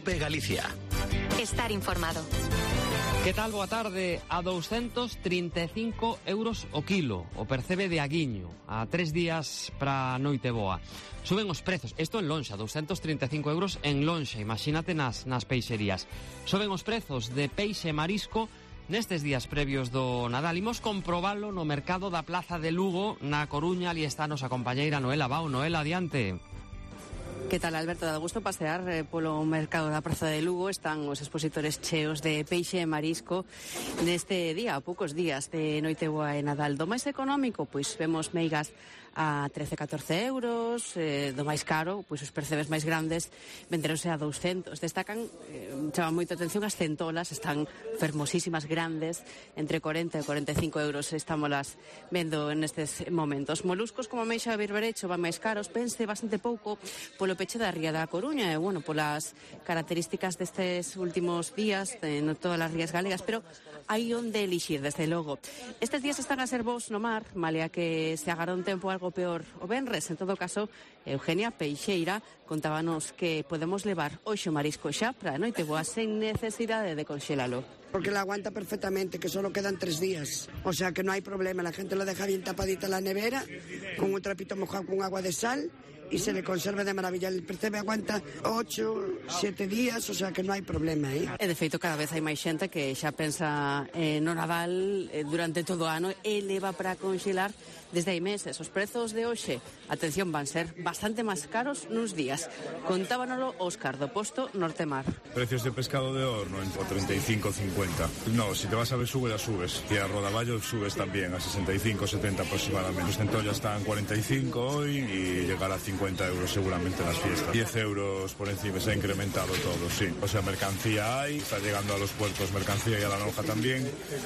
COPE Galicia. Estar informado. Que tal? Boa tarde. A 235 euros o kilo o percebe de aguiño a 3 días para noite boa. Suben os prezos, isto en lonxa, 235 euros en lonxa, imagínate nas peixerías. Suben os prezos de peixe e marisco nestes días previos do Nadal. Imos comprobalo no mercado da Plaza de Lugo, na Coruña. Ali está a nosa compañeira Noela Bao. Noela, adiante. Que tal, Alberto? Dá gusto pasear polo mercado da Praza de Lugo. Están os expositores cheos de peixe e marisco neste día, a poucos días de Noiteboa e Nadal. Do máis económico, pois vemos meigas a 13-14 euros, do máis caro, pois os percebes máis grandes venderonse a 200. Destacan, chama moito atención as centolas, están fermosísimas, grandes, entre 40 e 45 euros estámolas vendo nestes momentos. Moluscos como a meixa e berberecho van máis caros, pense bastante pouco polo peche da ría da Coruña e, bueno, polas características destes últimos días en todas as rías galegas, pero hai onde elixir, desde logo. Estes días están a ser bons no mar, malia que se agara un tempo algo peor o venres. En todo caso, Eugenia Peixeira contábanos que podemos levar hoxe o marisco xa para a Noiteboa sen necesidade de conxelalo. Porque la aguanta perfectamente, que solo quedan 3 días. O sea que no hay problema, la gente lo deja bien tapadita en la nevera, con un trapito mojado con agua de sal, y se le conserva de maravilla. El percebe aguanta 8, 7 días, o sea que no hai problema, E de feito cada vez hai máis xente que xa pensa no Nadal durante todo o ano e leva para conxelar desde hai meses. Os prezos de hoxe, atención, van ser bastante máis caros nuns días. Contábanolo Óscar do Posto Nortemar. Precios de pescado de horno en 35-50. No, si te vas a Besugo ya subes. Y a Rodaballo subes también a 65-70 aproximadamente. Los centollas están 45 hoy y llegará a 50 euros seguramente en las fiestas. 10 euros por encima, se ha incrementado todo, sí. O sea, mercancía hay, está llegando a los puertos mercancía y a la lonja también.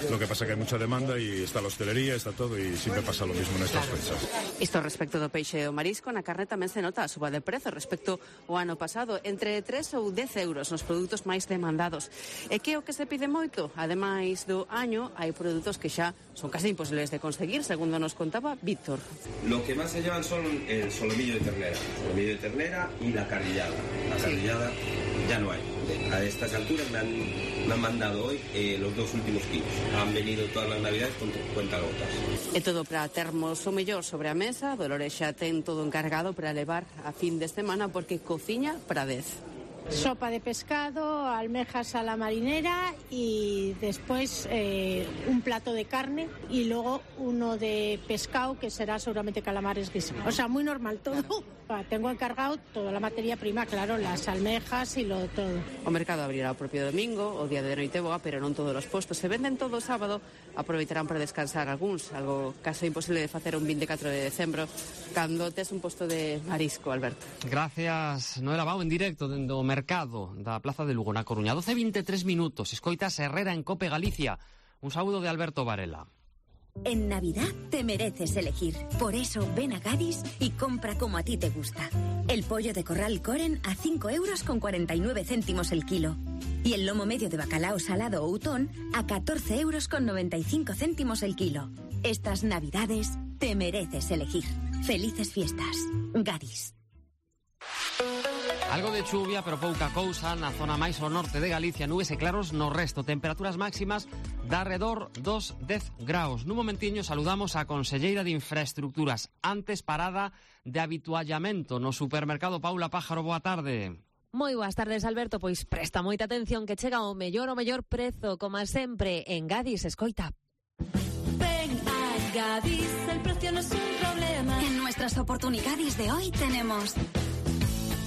Lo que pasa que hay mucha demanda y está la hostelería, está todo y siempre pasa lo mismo nestas fechas. Isto respecto do peixe e o marisco, na carne tamén se nota a suba de prezo respecto ao ano pasado, entre 3 ou 10 euros nos produtos máis demandados. E que é o que se pide moito? Ademais do año, hai produtos que xa son casi imposibles de conseguir, segundo nos contaba Víctor. Lo que más se llevan son el solomillo de ternera y la carrillada. La carrillada ya no hay. A estas alturas me han mandado hoy los 2 últimos kilos. Han venido todas las navidades con 50 gotas. E todo para termos o mellor sobre a mesa. Dolores xa ten todo encargado para levar a fin de semana porque cociña para 10. Sopa de pescado, almejas a la marinera y después un plato de carne y luego uno de pescado que será seguramente calamares guisados. O sea, muy normal todo. Tengo encargado toda la materia prima, claro, las almejas y lo todo. O mercado abrirá o propio domingo, o día de Noiteboa, pero non todos os postos se venden todo o sábado. Aproveitarán para descansar algúns, algo caso imposible de facer un 24 de decembro cando tes un posto de marisco, Alberto. Gracias, Noela Bao, en directo dende o mercado da Plaza de Lugo, na Coruña. 12:23 minutos, escoitas Herrera en Cope Galicia. Un saúdo de Alberto Varela. En Navidad te mereces elegir. Por eso ven a Gadis y compra como a ti te gusta. El pollo de corral Coren a 5 euros con 49 céntimos el kilo. Y el lomo medio de bacalao salado o utón a 14 euros con 95 céntimos el kilo. Estas Navidades te mereces elegir. Felices fiestas. Gadis. Algo de chuvia, pero pouca cousa na zona máis ao norte de Galicia, nubes e claros no resto. Temperaturas máximas de arredor dos 10 graus. Nun momentiño saludamos a conselleira de Infraestructuras, antes parada de habituallamento no supermercado Paula Pájaro. Boa tarde. Moi boas tardes, Alberto. Pois presta moita atención que chega o mellor prezo, como sempre, en Gadis. Escoita. Ven a Gadis, el precio no es un problema. En nuestras oportunidades de hoy tenemos...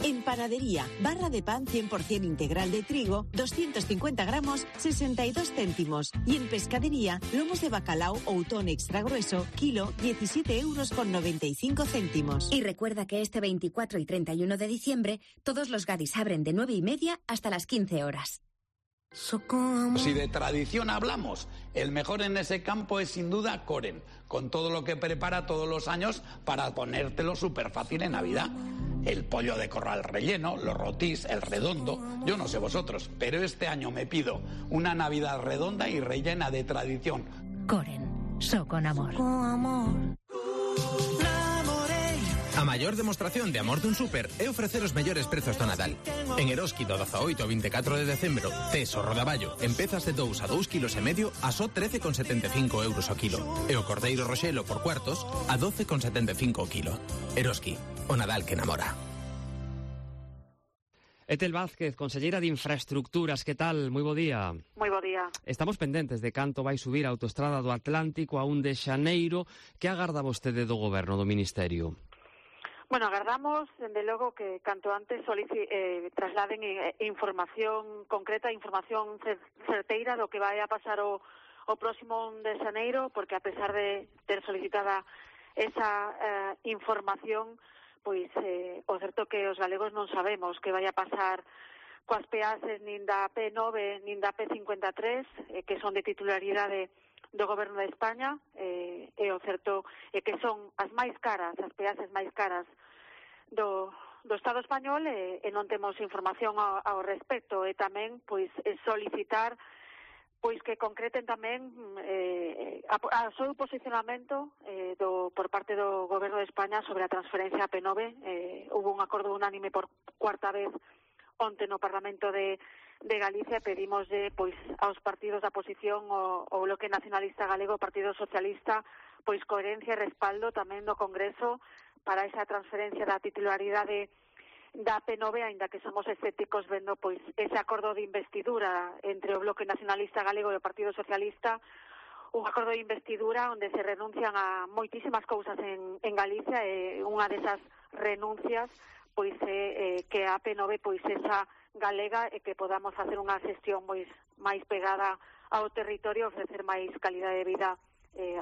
En panadería, barra de pan 100% integral de trigo, 250 gramos, 62 céntimos. Y en pescadería, lomos de bacalao o utón extra grueso, kilo, 17 euros con 95 céntimos. Y recuerda que este 24 y 31 de diciembre, todos los Gadis abren de 9:30 hasta las 15 horas. Si de tradición hablamos, el mejor en ese campo es sin duda Coren, con todo lo que prepara todos los años para ponértelo súper fácil en Navidad. El pollo de corral relleno, los rotís, el redondo, yo no sé vosotros, pero este año me pido una Navidad redonda y rellena de tradición. Coren, so con amor. A maior demostración de amor dun súper é ofrecer os mellores prezos do Nadal. En Eroski do 18 ao 24 de decembro, tes o rodaballo en pezas de 2 a 2,5 kg a só 13,75 euros o kilo. E o cordeiro roxelo por cuartos a 12,75 o kilo. Eroski, o Nadal que namora. Etel Vázquez, conselleira de Infraestructuras, que tal? Moi bo día. Moi bo día. Estamos pendentes de canto vai subir a autoestrada do Atlántico a 1 de xaneiro. Que agarda vostede do goberno, do Ministerio? Bueno, agardamos, dende logo, que canto antes trasladen información concreta, información certeira do que vai a pasar o próximo 1 de xaneiro, porque a pesar de ter solicitada esa información, pois o certo que os galegos non sabemos que vai a pasar coas peaxes nin da P9 nin da P53, que son de titularidade do Goberno de España, e o certo é que son as máis caras, as peaxes máis caras do Estado español, e non temos información ao respecto, e tamén pois solicitar pois que concreten tamén o seu posicionamento por parte do Goberno de España sobre a transferencia a P9. Hubo un acordo unánime por cuarta vez onte no Parlamento de Galicia. Pedimoslle pois aos partidos da oposición, o Bloque Nacionalista Galego, o Partido Socialista, pois coherencia e respaldo tamén no Congreso para esa transferencia da titularidade da P9, aínda que somos escépticos vendo pois ese acordo de investidura entre o Bloque Nacionalista Galego e o Partido Socialista, un acordo de investidura onde se renuncian a moitísimas cousas en Galicia, e unha desas renuncias pois é que a P9 pois esa galega, e que podamos facer unha xestión pois máis pegada ao territorio, ofrecer máis calidade de vida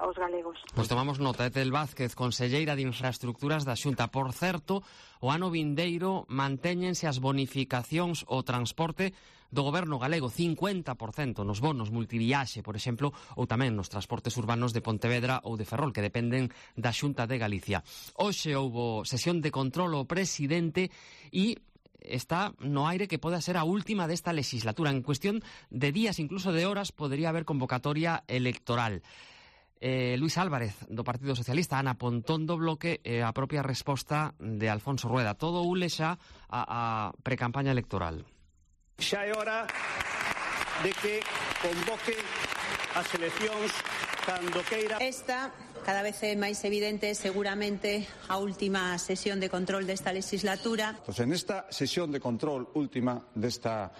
aos galegos. Pois tomamos nota. Etel Vázquez, conselleira de Infraestructuras da Xunta. Por certo, o ano vindeiro mantéñense as bonificacións ao transporte do goberno galego, 50% nos bonos multiviaxe, por exemplo, ou tamén nos transportes urbanos de Pontevedra ou de Ferrol, que dependen da Xunta de Galicia. Hoxe houbo sesión de control ao presidente e está no aire que pode ser a última desta legislatura. En cuestión de días, incluso de horas, podría haber convocatoria electoral. Luis Álvarez, do Partido Socialista, Ana Pontón, do Bloque, a propia resposta de Alfonso Rueda. Todo ule xa a precampaña electoral. Xa é hora de que convoque as eleccións cando queira. Esta cada vez é máis evidente, seguramente a última sesión de control desta legislatura. Pues en esta sesión de control última desta,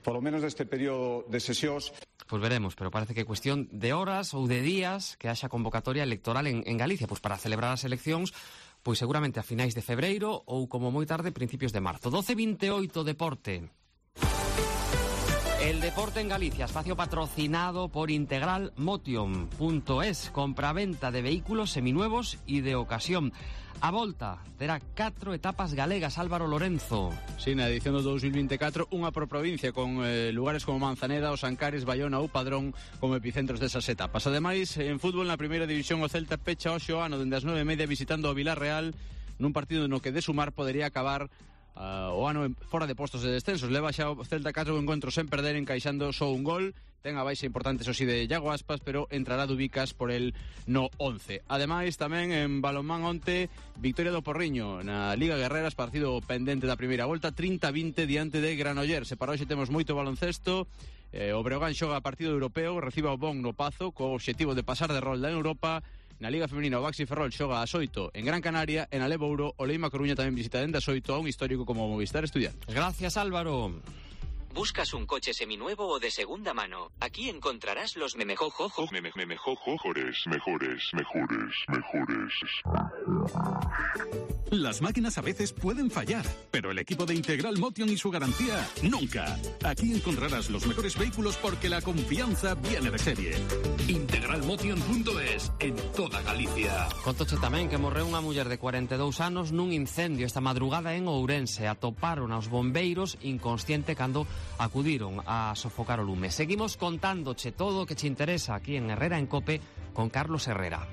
polo menos deste período de sesións, pois veremos, pero parece que é cuestión de horas ou de días que haxa convocatoria electoral en Galicia, pois para celebrar as eleccións, pois seguramente a finais de febreiro ou como moi tarde principios de marzo. 12:28, deporte. El deporte en Galicia, espacio patrocinado por integralmotion.es, compraventa de vehículos seminuevos y de ocasión. A volta terá 4 etapas galegas, Álvaro Lorenzo. Sí, na edición do 2024, unha por provincia, con lugares como Manzaneda, Os Ancares, Baiona ou Padrón como epicentros desas etapas. Ademais, en fútbol, na primeira división, o Celta pecha hoxe o ano dende as 9:30 visitando o Vilarreal, nun partido no que de sumar podería acabar o ano fora de postos de descensos. Leva xa o Celta 4 encontros sen perder, encaixando só un gol. Ten a baixa importante, eso sí, de Iago Aspas, pero entrará Dubicas por el no 11. Ademais, tamén en balonmán onte, victoria do Porriño na Liga Guerreras, partido pendente da primeira volta, 30-20 diante de Granollers. E para hoxe temos moito baloncesto. O Breogán xoga partido europeo, reciba o Bon no Pazo, co obxectivo de pasar de rolda en Europa. Na Liga Femenina, o Baxi Ferrol xoga a 8 en Gran Canaria, en Alevouro, o Leima Coruña tamén visita dende as 8 a un histórico como Movistar Estudiantes. Gracias, Álvaro. ¿Buscas un coche seminuevo o de segunda mano? Aquí encontrarás los mejores. Las máquinas a veces pueden fallar, pero el equipo de Integral Motion y su garantía, nunca. Aquí encontrarás los mejores vehículos porque la confianza viene de serie. Integralmotion.es, en toda Galicia. Contoche tamén que morreu unha muller de 42 anos nun incendio esta madrugada en Ourense. Atoparon aos bombeiros inconsciente cando acudiron a sofocar o lume. Seguimos contándoche todo o que te interesa aquí en Herrera en Cope con Carlos Herrera.